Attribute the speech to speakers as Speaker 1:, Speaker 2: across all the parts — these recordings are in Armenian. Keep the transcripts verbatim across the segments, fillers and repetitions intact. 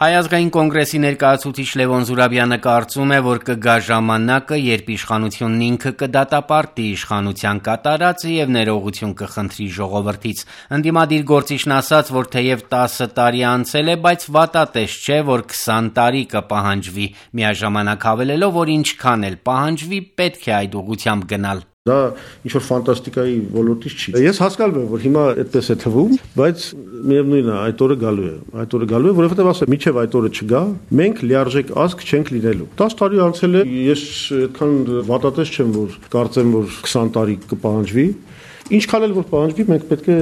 Speaker 1: Հայ ազգային կոնգրեսի ներկայացուցիչ Լևոն Զուրաբյանը կարծում է, որ կգա ժամանակը, երբ իշխանությունն ինքը կդատապարտի իշխանության կատարածը եւ ներողություն կխնդրի ժողովրդից։ Ընդդիմադիր գործիչն ասաց, որ թեև տասը տարի անցել է, բայց վատատես չէ, որ քսան տարի կպահանջվի, միաժամանակ հավելելով, որ ինչքան էլ պահանջվի, պետք է այդ ուղղությամբ գնալ։
Speaker 2: Դա ինչ-որ ֆանտաստիկայի ոլորտից չի։ Ես հասկանում եմ, որ հիմա այդպես է թվում, բայց միևնույնն է, այդ օրը գալու է։ Այդ օրը գալու է, որովհետև ասեմ, միջև այդ օրը չգա, մենք լիարժեք ազգ չենք լինելու։ տասը տարի անցել է, ես այդքան վատատես չեմ, որ կարծեմ, որ քսան տարի կպահանջվի։ Ինչքան էլ որ պահանջվի, մենք պետք է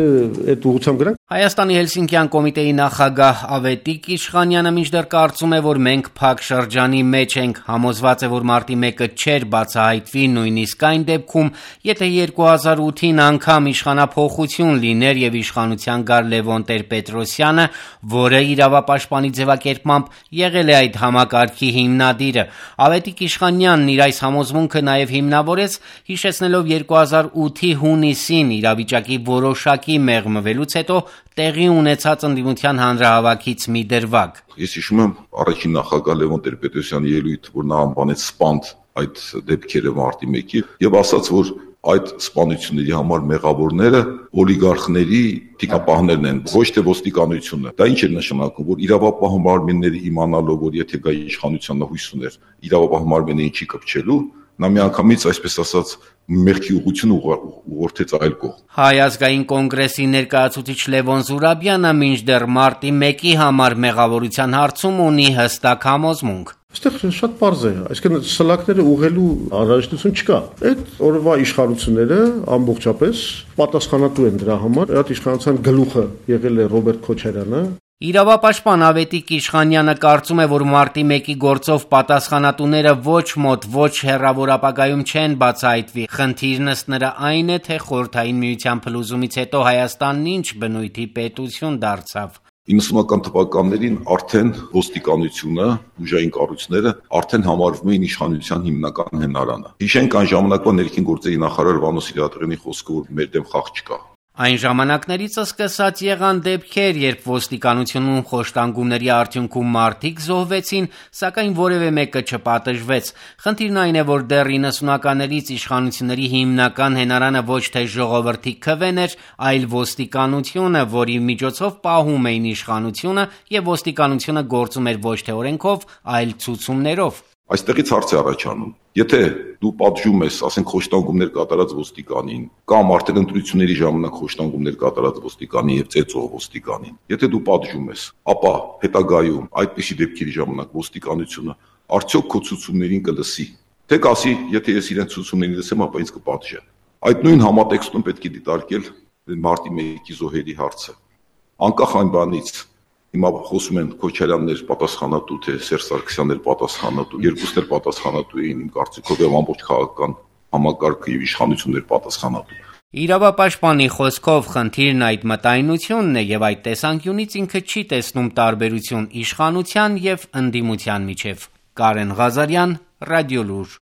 Speaker 2: այդ ուղղությամբ գնանք։
Speaker 1: Հայաստանի Հելսինկյան կոմիտեի նախագահ Ավետիք Իշխանյանը մինչդեռ կարծում է, որ մենք փակ շրջանի մեջ ենք, համոզված է, որ մարտի մեկը չէր բացահայտվի նույնիսկ այն դեպքում, եթե երկու հազար ութին անգամ իշխանափոխություն լիներ եւ իշխանության գար Լևոն Տեր-Պետրոսյանը, որը իրավապաշտպանի ձևակերպմամբ եղել է այդ համակարգի հիմնադիրը։ Ավետիք Իշխանյանն իր այս համոզմունքը նաեւ հիմնավորեց, հիշեցնելով երկու հազար ութի հունիսին իրավիճակի որոշակի մեղմվելուց հետո տեղի ունեցած ընդդիմության հանրահավաքից մի դրվագ։
Speaker 3: Ես հիշում եմ առաջին նախագահ Լևոն Տեր-Պետրոսյանի ելույթ, որ նա անվանեց սպանդ այդ դեպքերը մարտի մեկի եւ ասաց, որ այդ սպանությունների համար մեղավորները օլիգարխների թիկապահներն են, ոչ թե ոստիկանությունը։ Դա ինչ է նշանակում, որ իրավապահ մարմինները իմանալով, որ եթե գա իշխանությանն հույս ուներ, իրավապահ մարմիններին չի կպչելու, նա միանգամից, այսպես ասած, մեղքի ուղղությունը ուղղորդեց այլ կողմ։
Speaker 1: Հայ ազգային կոնգրեսի ներկայացուցիչ Լևոն Զուրաբյանը մինչդեռ մարտի մեկի համար մեղավորության հարցում ունի հստակ համոզմունք։
Speaker 2: Այստեղ շատ պարզ է, այսինքն սլակները ուղղելու անհրաժեշտություն չկա։ Այդ օրվա իշխանությունները ամբողջապես պատասխանատու են դրա համար։ Այդ իշխանության գլուխը եղել է Ռոբերտ Քոչարյանը։
Speaker 1: Իրավապաշտպան Ավետիք Իշխանյանը կարծում է, որ մարտի մեկի գործով պատասխանատուները ոչ մոտ, ոչ հեռավոր ապագայում չեն բացահայտվի։ Խնդիրն ըստ նրա այն է, թե Խորհրդային Միության փլուզումից հետո Հայաստանն ինչ բնույթի պետություն դարձավ։
Speaker 3: իննսունական թվականներին արդեն ոստիկանությունը, ուժային կառույցները արդեն համարվում էին իշխանության հիմնական հենարանը։ Հիշենք այն ժամանակվա ներքին գործերի նախարար Վանո Սիրադեղյանի խոսքը, որ մեր դեմ խաղ չկա։
Speaker 1: Այն ժամանակներից սկսած եղան դեպքեր, երբ ոստիկանությունում խոշտանգումների արդյունքում մարդիկ զոհվեցին, սակայն որևէ մեկը չպատժվեց։ Խնդիրն այն է, որ դեռ իննսունականներից իշխանությունների հիմնական հենարանը ոչ թե ժողովրդի քվեն էր, այլ ոստիկանությունը, որի միջոցով պահում էին իշխանությունը եւ ոստիկանությունը գործում էր ոչ թե օրենքով, այլ ցուցումներով։
Speaker 3: Այստեղից հարց է առաջանում. եթե դու պատժում ես, ասենք, խոշտանգումներ կատարած ոստիկանին, կամ արդեն ընտրությունների ժամանակ խոշտանգումներ կատարած ոստիկանին եւ ծեծող ոստիկանին, եթե դու պատժում ես, ապա հետագայում այդպիսի դեպքերի ժամանակ ոստիկանությունը արդյոք քո ցուցումներին կլսի, թե կասի, եթե ես իրենց ցուցումներին լսեմ, ապա ինձ կպատժեն։ Այդ նույն համատեքստում պետք է դիտարկել մարտի մեկի զոհերի հարցը։ Անկախ այն բանից, հիմա խոսում են Քոչարյաններ պատասխանատու, թե Սերժ Սարգսյաններ պատասխանատու, երկուսն էլ պատասխանատու էին իմ կարծիքով եւ ամբողջ քաղաքական համակարգը եւ իշխանություններ պատասխանատու։
Speaker 1: Իրավապաշտպանի խոսքով խնդիրն այդ մտայնությունն է եւ այդ տեսանկյունից ինքը չի տեսնում տարբերություն իշխանության եւ ընդդիմության միջեւ։ Կարեն Ղազարյան, Ռադիոլուր։